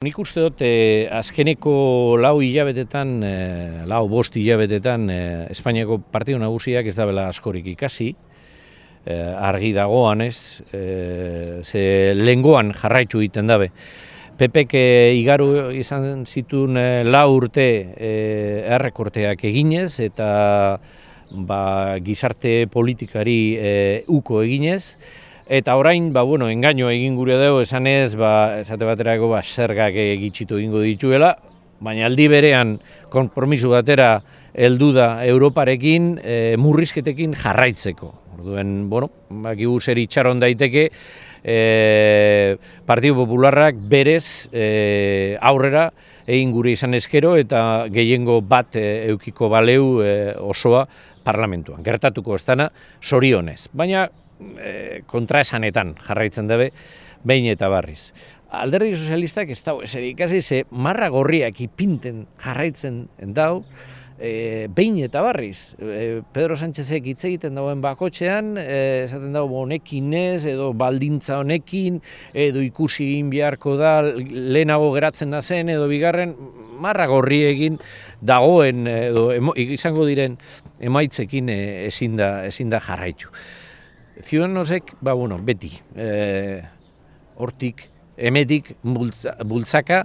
Nik uste dut azkeneko lau bost hilabetetan Espainiako partidu nagusiak ez dabela askorik ikasi, argi dagoan ez, ze lehengoan jarraitu egiten dabe. PPk igaru izan zituen 4 urte errekorteak eginez eta gizarte politikari uko eginez. Eta orain, engaino egin gure dugu esanez, esate baterako zergak gitxitu egingo dituela, baina aldi berean konpromiso batera heldu da Europarekin murrizketekin jarraitzeko. Orduen, bakigu zer itxaron daiteke, Partidu Popularrak berez aurrera egin gure izan eskero eta gehiengo bat eukiko baleu osoa parlamentuan. Gertatuko ez dana, zorionez. Baina kontraesanetan jarraitzen dabe, behin eta barriz. Alderdi sozialistak ez dago ezer ikasi, ze marra gorriak ipinten jarraitzen dau, behin eta barriz. Pedro Sánchezek hitz egiten dagoen bakotxean, esaten dago honekin ez, edo baldintza honekin, edo ikusi egin beharko da, lehenago geratzen da zen, edo bigarren, marra gorri egin dagoen, edo izango diren emaitzekin ezin da jarraitu. Ciudadanosek, beti, hortik, emetik, bultzaka,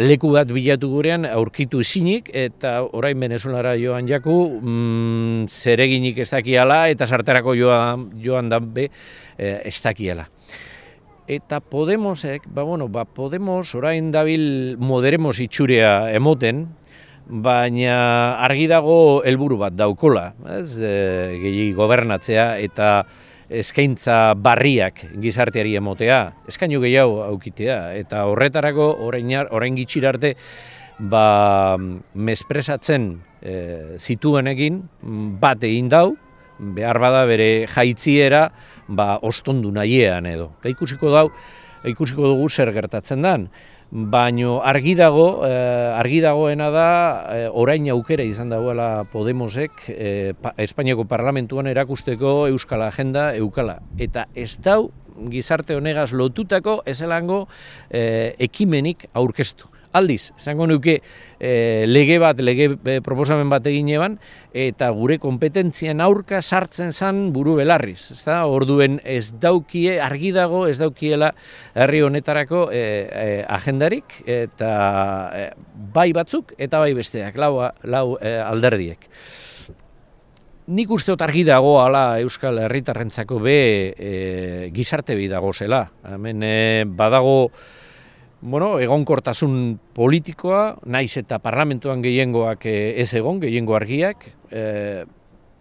leku bat bilatu gurean aurkitu ezinik, eta orain Venezuelara joan jaku, zereginik ez dakiala, eta sarterako joan dabe ez dakiala. Eta Podemosek, Podemos orain dabil moderemos itxurea emoten, baina argi dago helburu bat daukola, gehi gobernatzea eta eskaintza barriak gizarteari emotea, eskainu gehiago aukitea, eta horretarako orain gitxir arte mespresatzen zituenekin bat egin dau, behar bada bere jaitziera ostondu nahiean edo. Ikusiko dugu zer gertatzen den. Baina argi dagoena da orain aukera izan dagoela Podemosek Espainiako parlamentuan erakusteko euskal agenda eukala. Eta ez dau gizarte honegaz lotutako ezelango ekimenik aurkeztu. Aldiz, esango nuke lege proposamen bat egin eban, eta gure kompetentzien aurka sartzen zan buru belarriz. Orduen argi dago ez daukiela herri honetarako agendarik, eta bai batzuk eta bai besteak, lau alderdiek. Nik uste dut argi dago ala Euskal Herritarrentzako gizarte bi dago zela. Hemen badago egonkortasun politikoa, naiz eta parlamentuan gehiengoak ez egon, gehiengo argiak,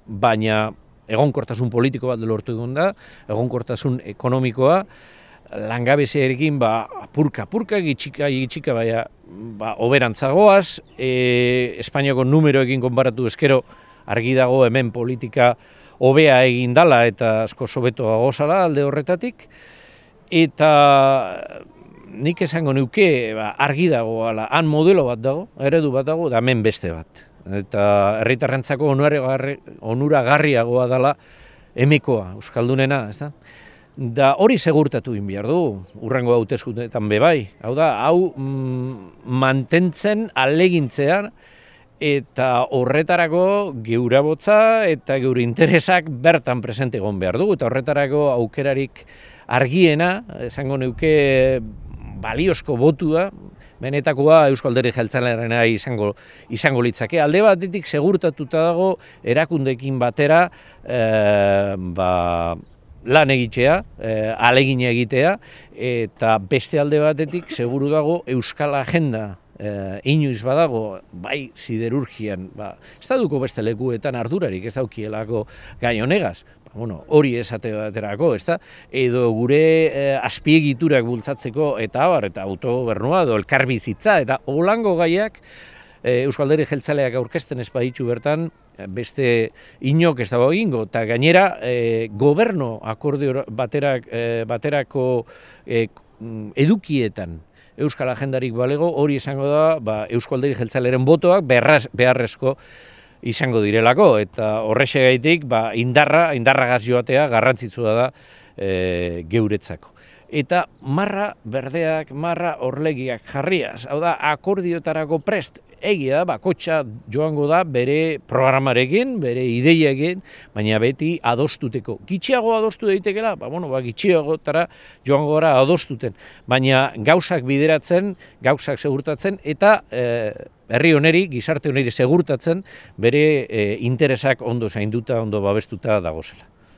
baina egonkortasun politiko bat lortu egon da, egonkortasun ekonomikoa, langabeziarekin apurka, gitxika, oberantzagoaz, Espainiako numeroekin konparatu eskero argi dago hemen politika hobea egin dala eta asko sobetoa gozala alde horretatik, eta nik esango nuke argi dago, han modelo bat dago, eredu bat dago, da hemen beste bat. Eta herritarrentzako onuragarriagoa dela emekoa, euskaldunena, ez da? Da hori segurtatu egin behar du, hurrengo hauteskundeetan bai. Hau da, mantentzen alegintzean, eta horretarako geura botza eta geure interesak bertan presente egon behar du, eta horretarako aukerarik argiena, esango nuke, baliozko botua, benetakoa Eusko Alderdi Jeltzalearena izango litzake. Alde batetik segurtatuta dago erakundeekin batera lan egitea, alegina egitea, eta beste alde batetik seguru dago Euskal Agenda inoiz badago, bai siderurgian, ez da duko beste lekuetan ardurarik, ez daukielako gai honegaz. Hori esate baterako, edo gure azpiegiturak bultzatzeko eta autogobernua edo elkarbizitza, eta holango gaiak Eusko Alderdi Jeltzaleak aurkezten ez baditu bertan, beste inok ez dago egingo, eta gainera gobernu akordio baterako edukietan Euskal Agendarik balego, hori izango da Eusko Alderdi Jeltzalearen botoak beharrezko izango direlako, eta horrexegaitik indarragaz joatea garrantzitsua da geuretzako. eta marra berdeak, marra orlegiak jarriaz. Hau da, akordiotarako prest, egia da, bakotxa joango da bere programarekin, bere ideiekin, baina beti adostuteko. Gitxiago adostu daitekela, gitxiagotara joango gara adostuten, baina gauzak bideratzen, gauzak segurtatzen, eta herri honeri, gizarte honeri segurtatzen, bere interesak ondo zainduta, ondo babestuta dagozela.